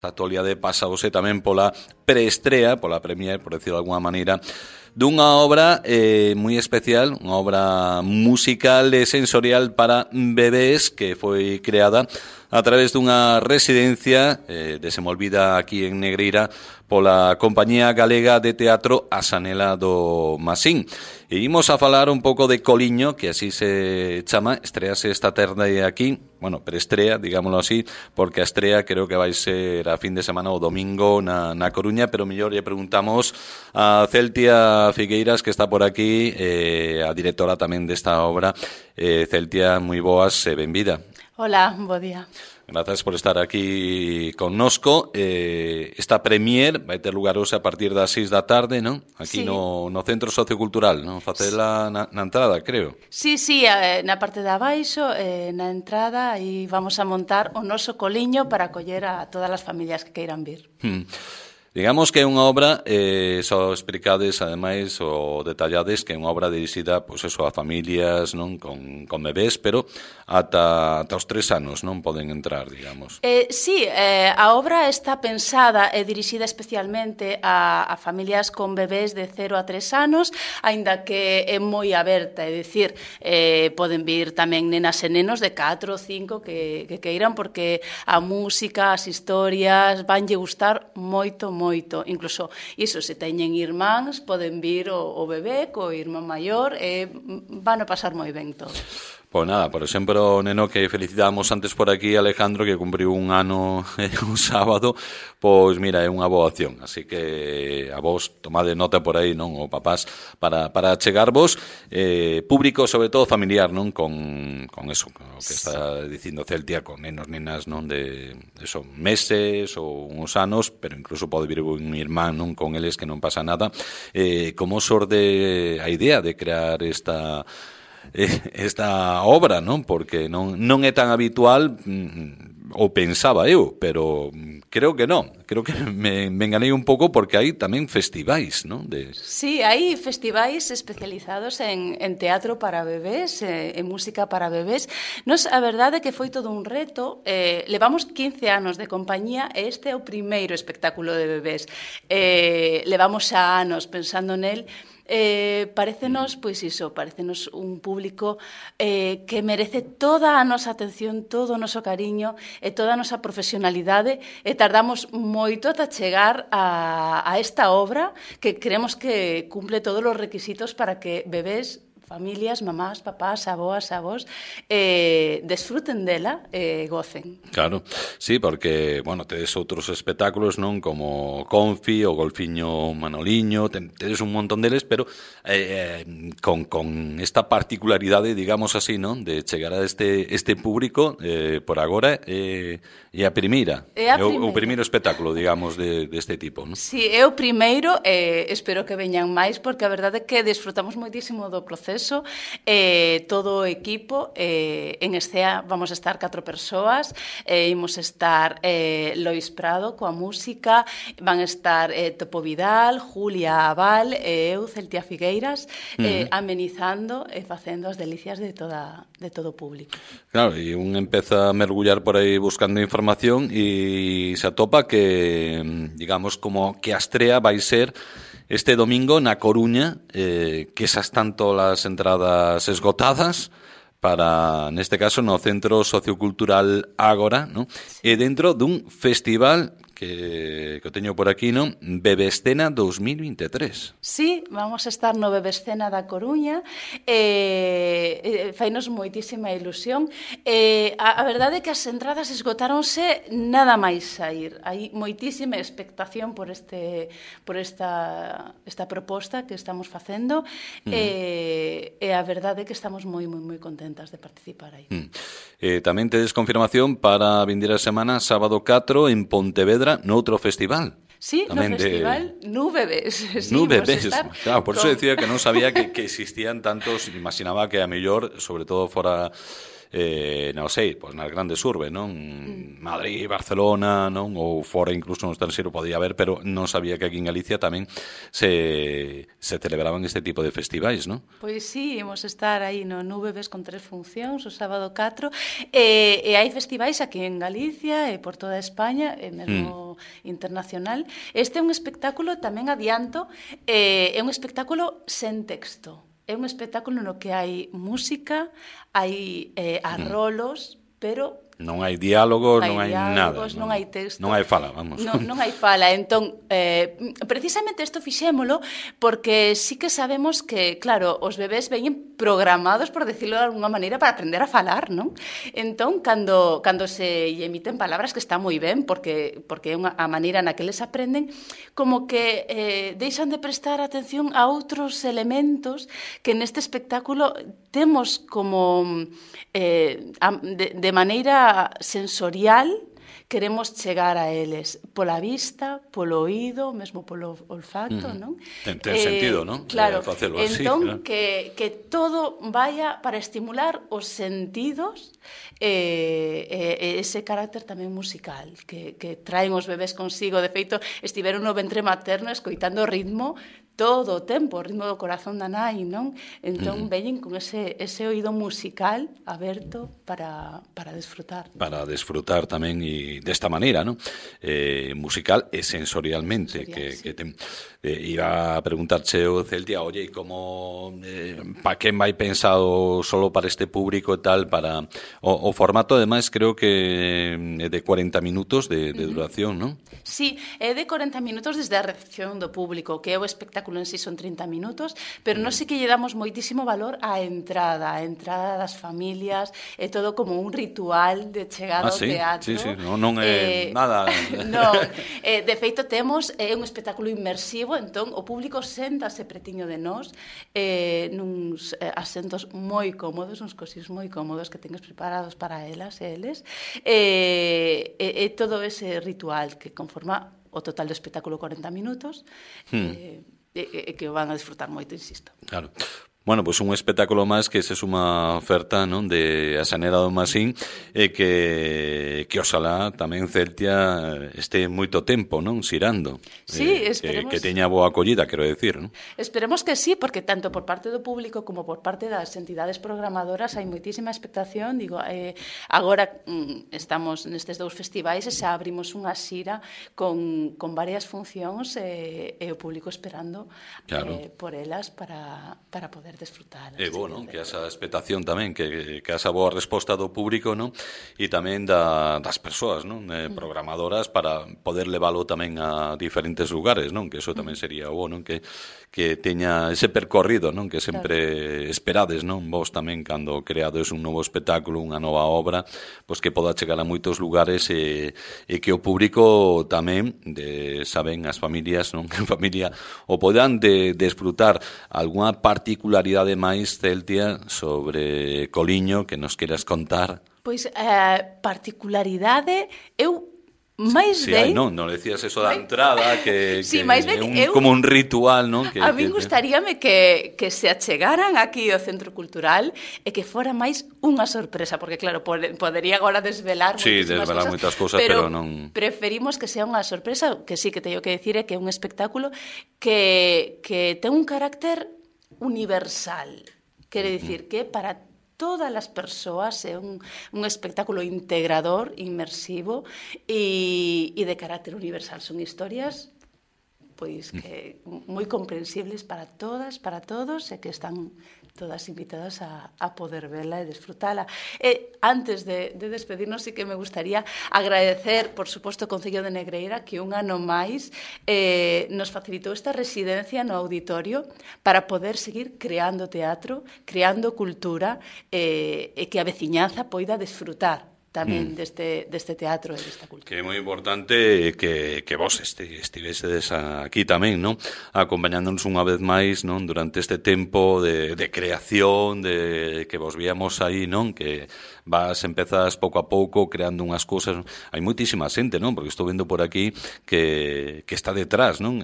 A actualidade pasaose tamén pola preestrea, pola premier, por decirlo de alguna maneira, dunha obra moi especial, unha obra musical e sensorial para bebés que foi creada a través dunha residencia desenvolvida aquí en Negreira pola Compañía Galega de Teatro A Sanela do Masín. E imos a falar un pouco de Coliño, que así se chama, estrease esta tarde aquí, bueno, preestrea, digámoslo así, porque a estrea creo que vai ser a fin de semana o domingo na Coruña, pero mellor lle preguntamos a Celtia Figueiras, que está por aquí, a directora tamén desta obra. Celtia, moi boas e benvida. Hola, bo día. Grazas por estar aquí connosco. Esta premier vai ter lugar hoxe a partir das 6 da tarde, non? Aquí sí. no Centro Sociocultural, non? Facela na entrada, creo. Sí, na parte de abaixo, na entrada, aí vamos a montar o noso coliño para acoller a todas as familias que queiran vir. Digamos que é unha obra, só explicades, ademais, ou detallades, que é unha obra dirixida, pois eso, a familias, non, con bebés, pero ata os 3 anos non poden entrar, digamos. Sí, a obra está pensada e dirixida especialmente a familias con bebés de 0 a 3 anos, aínda que é moi aberta, é dicir, poden vir tamén nenas e nenos de 4 ou 5 que queiran, porque a música, as historias, vanlle gustar moito, incluso iso, se teñen irmáns, poden vir o bebé co irmán maior e van a pasar moi ben todos. Pois nada, por exemplo, o neno que felicitábamos antes por aquí, Alejandro, que cumpriu un ano un sábado, pois mira, é unha boa opción, así que a vos tomade nota por aí, non, o papás, para chegarvos, público, sobre todo familiar, non, con eso, con o que está dicindo Celtia, con nenos, nenas, non, de eso, meses ou uns anos, pero incluso pode vir un irmán, non, con eles, que non pasa nada. Como xorde a idea de crear esta obra, non? Porque non é tan habitual, ou pensaba eu, pero creo que non. Creo que me enganei un pouco porque hai tamén festivais, non? Sí, hai festivais especializados en teatro para bebés, en música para bebés. Nos, a verdade é que foi todo un reto. Levamos 15 anos de compañía e este é o primeiro espectáculo de bebés. Levamos xa anos pensando nel. Parecenos, pois iso, parecenos un público que merece toda a nosa atención, todo o noso cariño e toda a nosa profesionalidade, e tardamos moito ata chegar a esta obra que creemos que cumple todos os requisitos para que bebés, familias, mamás, papás, avós, desfruten dela e gocen. Claro, sí, porque, bueno, tedes outros espectáculos, non, como Confi, o Golfiño Manoliño, tedes un montón deles, pero con esta particularidade, digamos así, non, de chegar a este público, por agora, é a primeira. É o primeiro espectáculo, digamos, deste tipo, non? Sí, é o primeiro, espero que veñan máis, porque a verdade é que desfrutamos moitísimo do proceso. Todo o equipo, en escena vamos a estar 4 persoas, imos estar Lois Prado coa música, van estar Topo Vidal, Julia Aval e eu, Celtia Figueiras, amenizando e facendo as delicias de todo o público. Claro, e un empeza a mergullar por aí buscando información e se atopa que, digamos, como que a estrea vai ser este domingo na Coruña, que xa están todas as entradas esgotadas para, neste caso, no Centro Sociocultural Ágora, non? E dentro dun festival que o teño por aquí, non? Bebescena 2023. Sí, vamos a estar no Bebescena da Coruña, fainos moitísima ilusión. A verdade é que as entradas esgotáronse nada máis sair. Hai moitísima expectación por esta proposta que estamos facendo, e a verdade é que estamos moi contentas de participar aí. Tamén tedes confirmación para a vindeira semana, sábado 4, en Pontevedra, noutro festival. Sí, tamén no festival Nubebés. Sí, Nubebés, claro, por eso decía que non sabía que existían tantos, imaginaba que a mellor, sobre todo fora non sei, pois nas grandes urbes, non? Madrid, Barcelona, non? Ou fora incluso no estranxeiro podía haber, pero non sabía que aquí en Galicia tamén se celebraban este tipo de festivais, non? Pois sí, imos estar aí no UVBs con 3 funcións, o sábado 4, e hai festivais aquí en Galicia e por toda España, e mesmo internacional. Este é un espectáculo, tamén adianto, é un espectáculo sen texto. É un espectáculo no que hai música, hai arrolos, pero non hai diálogos, non hai nada. Non hai texto. Non hai fala, vamos. Non hai fala. Entón, precisamente isto fixémolo porque sí que sabemos que, claro, os bebés veñen programados, por decirlo de alguna maneira, para aprender a falar, non? Entón, cando se emiten palabras, que está moi ben, porque é a maneira na que les aprenden, como que deixan de prestar atención a outros elementos que neste espectáculo temos como de maneira sensorial, queremos chegar a eles pola vista, polo oído, mesmo polo olfato, non? Ten sentido, non? Claro, Facelo así, entón claro. que todo vaya para estimular os sentidos e ese carácter tamén musical que traen os bebés consigo. De feito, estiveron no ventre materno escoitando o ritmo todo o tempo, o ritmo do corazón da nai, non? Entón veñen con ese oído musical aberto para desfrutar. Para desfrutar tamén e desta maneira, non? Musical e sensorialmente. Sensorial, que ten, iba a preguntarche o Celtia, oye, como pa quen vai pensado solo para este público e tal, para o formato, ademais, creo que é de 40 minutos de duración, non? Sí, é de 40 minutos desde a recepción do público, que é o espectáculo en sí son 30 minutos, pero nós sí que lle damos moitísimo valor á entrada das familias, é todo como un ritual de chegada ao teatro. Sí, non é nada. Non, de feito temos un espectáculo inmersivo, entón o público séntase pretiño de nós, nuns asentos moi cómodos, uns cosís moi cómodos que tendes preparados para elas e eles, e todo ese ritual que conforma o total do espectáculo 40 minutos, que o van a disfrutar moito, insisto. Claro. Bueno, pois un espectáculo máis que se suma oferta, non, de A Xanera do Masín e que oxalá tamén Celtia este moito tempo, non, xirando. Sí, esperemos. Que teña boa acollida, quero decir, non? Esperemos que sí, porque tanto por parte do público como por parte das entidades programadoras hai moitísima expectación. Digo, agora estamos nestes 2 festivais e xa abrimos unha xira con varias funcións e o público esperando por elas para poder desfrutar. É bo, non? Que esa expectación tamén, que esa boa resposta do público, non? E tamén das persoas, non? Programadoras para poder leválo tamén a diferentes lugares, non? Que eso tamén sería bo, non? Que teña ese percorrido, non? Que sempre esperades, non? Vos tamén, cando creades un novo espectáculo, unha nova obra, pois que poda chegar a moitos lugares e que o público tamén, saben, as familias, non? Que en familia o podan desfrutar algunha particularidade máis, Celtia, sobre Coliño que nos queras contar. Pois, particularidade, eu máis ben... Sí, non decías eso da entrada, que sí, máis ben, como un ritual, non? A min gustaríame que se achegaran aquí ao Centro Cultural e que fora máis unha sorpresa, porque claro, podería agora desvelar moitas cousas, pero non... Preferimos que sea unha sorpresa, que sí, que teño que decir é que é un espectáculo que ten un carácter universal. Quere dicir que para todas as persoas é un espectáculo integrador, inmersivo e de carácter universal. Son historias pois que moi comprensibles para todas, para todos, e que están todas invitadas a poder verla e desfrutala. E antes de despedirnos, sí que me gustaría agradecer, por suposto, o Concello de Negreira, que un ano máis nos facilitou esta residencia no auditorio para poder seguir creando teatro, creando cultura, e que a veciñanza poida desfrutar tamén deste teatro e desta cultura. Que é moi importante que vos estivesedes aquí tamén, non? Acompañándonos unha vez máis, non? Durante este tempo de creación, de que vos víamos aí, non? Que empezas pouco a pouco creando unhas cousas. Hai moitísima xente, non? Porque estou vendo por aquí que está detrás, non?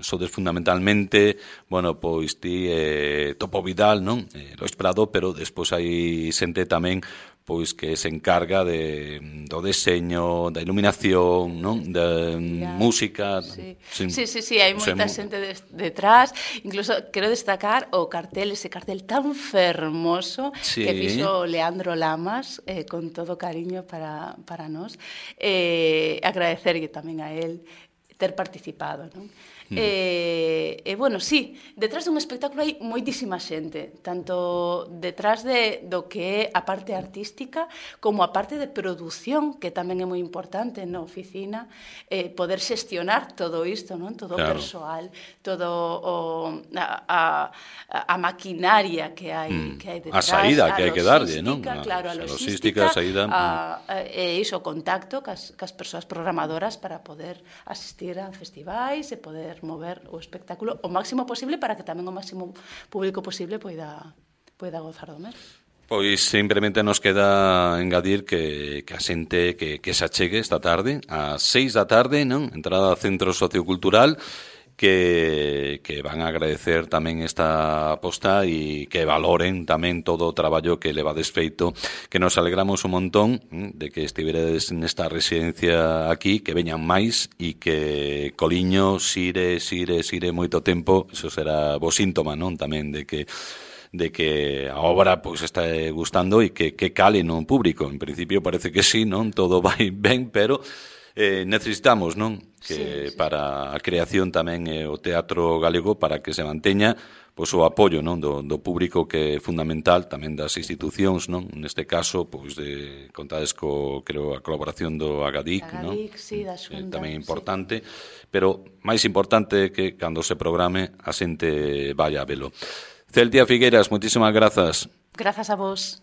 Sodes fundamentalmente, bueno, pois ti Topo Vidal, non? Lois Prado, pero despois hai xente tamén pois que se encarga do deseño, da iluminación, non? Da música. Sí, hai moita xente detrás. Incluso quero destacar o cartel, ese cartel tan fermoso que fixo Leandro Lamas, con todo cariño para nós. Agradecerlle tamén a él ter participado, non? Bueno, sí, detrás dun espectáculo hai moitísima xente, tanto detrás do que é a parte artística como a parte de produción, que tamén é moi importante na oficina, poder xestionar todo isto, non? Todo o persoal, todo a maquinaria que hai detrás, a saída que hai que darlle, non? Claro, a logística, e iso, o contacto cas persoas programadoras para poder asistir a festivais e poder mover o espectáculo o máximo posible para que tamén o máximo público posible poida gozar do mesmo. Pois simplemente nos queda engadir que a xente que se achegue esta tarde, ás 6 da tarde, non? Entrada ao Centro Sociocultural, que van a agradecer tamén esta aposta e que valoren tamén todo o traballo que levades feito, que nos alegramos un montón de que estiveredes nesta residencia aquí, que veñan máis e que Coliño sire moito tempo. Iso será bo síntoma, non? Tamén de que a obra pois está gustando e que cale no público. En principio parece que sí, non? Todo vai ben, pero necesitamos, non? Que para a creación tamén o teatro galego, para que se manteña pois o apoio, non, do público, que é fundamental, tamén das institucións, non? Neste caso, pois contades creo, a colaboración do Agadic, non? Sí, da Xunta. Tamén importante, pero máis importante que cando se programe a xente vaya a velo. Celtia Figueiras, moitísimas grazas. Grazas a vos.